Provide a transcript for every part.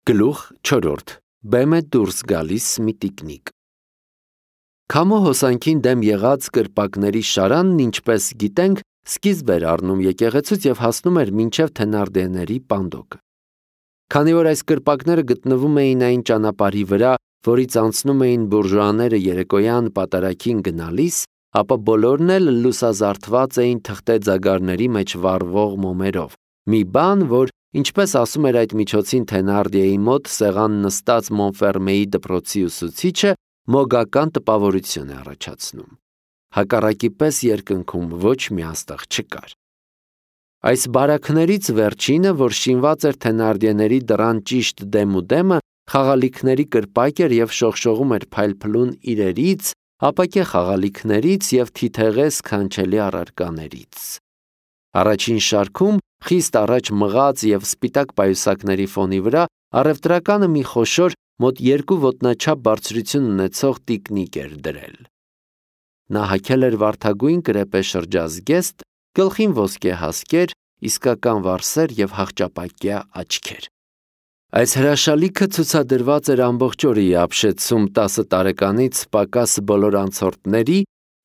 Գլուխ 4. Բեմ է դուրս գալիս մի տիկնիկ։ Քամու հոսանքին դեմ եղած կրպակների շարանն, ինչպես գիտենք, սկիզբ էր առնում եկեղեցուց և հասնում էր մինչև Թենարդիեների պանդոկը։ Քանի որ այս կրպակները գտնվում էին այն ճանապարհի վրա, որից անցնում էին բուրժուաները երեկոյան պատարագին գնալիս, ապա բոլորն էլ լուսազարդված էին թղթե ձագարների մեջ վառվող մոմերով, մի բան, որ, ինչպես ասում էր այդ միջոցին Թենարդիեի մոտ սեղան նստած Մոնֆերմեի դպրոցի ուսուցիչը, մոգական տպավորություն է առաջացնում։ Հակառակի պես երկնքում ոչ մի աստղ չկար։ Այս բարաքներից վերջինը, որ շինված էր Թենարդիեների դռան ճիշտ դեմուդեմը, խաղալիքների կրպակ էր և շողշողում էր փայլփլուն իրերից, ապակե խաղալիքներից և թիթեղե սքանչելի առարկաներից։ Առաջին շարքում, խիստ առաջ մղած և սպիտակ պայուսակների ֆոնի վրա, առևտրականը մի խոշոր, մոտ 2 ոտնաչափ բարձրություն ունեցող տիկնիկ էր դրել։ Նա հագել էր վարդագույն կրեպե շրջազգեստ, գլխին ոսկե հասկեր, իսկական վարսեր և հախճապակյա աչքեր։ Այս հրաշալիքը ցուցադրված էր ամբողջ օրը Իաբշեցում 10 տարեկանից պակաս բոլոր անցորդների,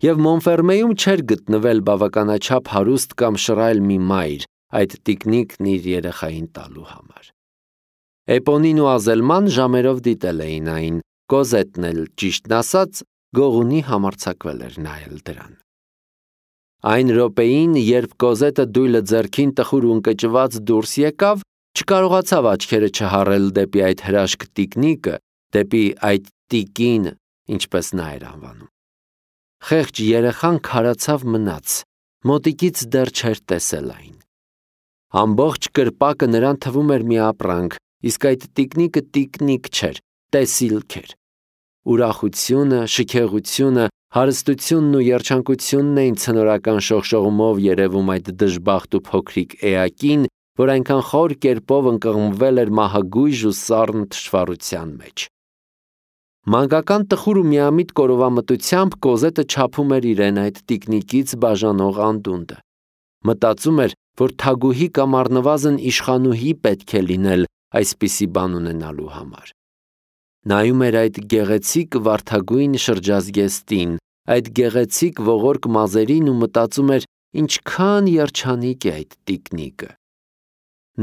և Մոնֆերմեում չէր գտնվել բավականաչափ հարուստ կամ շռայլ մի մայր այդ տիկնիկն իր երեխային տալու համար։ Էպոնին ու Ազելման ժամերով դիտել էին այն, Կոզետն էլ, ճիշտն ասած, գողունի համարձակվել էր նայել դրան։ Այն րոպեին, երբ Կոզետը դույլը ձեռքին տխուր ու ընկճված դուրս եկավ, չկարողացավ աչքերը չհառել դեպի այդ հրաշք տիկնիկը, դեպի այդ տիկին, ինչպես նա էր անվանում։ Խեղճ երեխան քարացավ մնաց, մոտիկից դեռ չէր տեսել այն։ Ամբողջ կրպակը նրան թվում էր մի ապրանք, իսկ այդ տիկնիկը տիկնիկ չէր, տեսիլք էր։ Ուրախությունը, շքեղությունը, հարստությունն ու երջանկությունն էին ցնորական շողշողումով երևում այդ դժբախտ ու փոքրիկ էակին, որ այնքան խոր կերպով ընկղմվել էր մահագույժ ու սառն թշվառության մեջ։ Մանկական տխուր ու միամիտ կորովամտությամբ Կոզետը չափում էր իրեն այդ տիկնիկից բաժանող անդունդը։ Մտածում էր, որ թագուհի կամ առնվազն իշխանուհի պետք է լինել այսպիսի բան ունենալու համար։ Նայում էր այդ գեղեցիկ վարդագույն շրջազգեստին, այդ գեղեցիկ ողորկ մազերին ու մտածում էր, ինչքան երջանիկ է այդ տիկնիկը։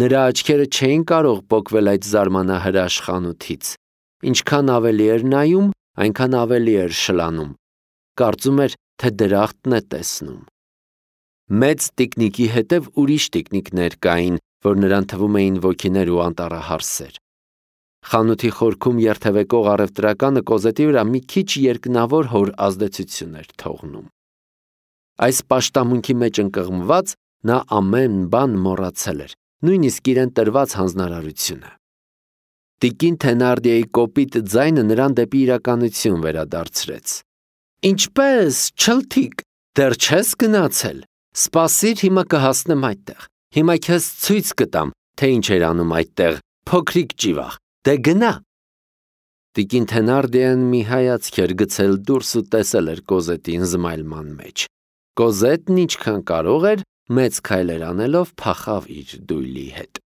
Նրա աչքերը չէին կարող պոկվել այդ զարմանահրաշ խանութից։ Ինչքան ավելի էր նայում, այնքան ավելի էր շլանում։ Կարծում էր, թե դրախտն է տեսնում։ Մեծ տիկնիկի հետև ուրիշ տիկնիկներ կային, որ նրան թվում էին ոգիներ ու անտառահարսեր։ Խանութի խորքում երթևեկող առևտրականը Կոզետի վրա մի քիչ երկնավոր հոր ազդեցություն էր թողնում։ Այս պաշտամունքի մեջ ընկղմված, նա ամեն բան մոռացել էր, նույնիսկ իրեն տրված հանձնարարությունը։ Տիկին Թենարդիեի կոպիտ ձայնը նրան դեպի իրականություն վերադարձրեց։ Ինչպե՞ս, չլթիկ, դեռ չես գնացել։ Սպասիր, հիմա կհասնեմ այդտեղ։ Հիմա քեզ ցույց կտամ, թե ինչ էր անում այդտեղ, փոքրիկ ճիվաղ, դե գնա։ Տիկին Թենարդիեն մի հայացք էր գցել դուրս ու տեսել էր Կոզետին զմայլման մեջ։ Կոզետն ինչքան կարող էր, մեծ քայլեր անելով փախավ իր դույլի հետ։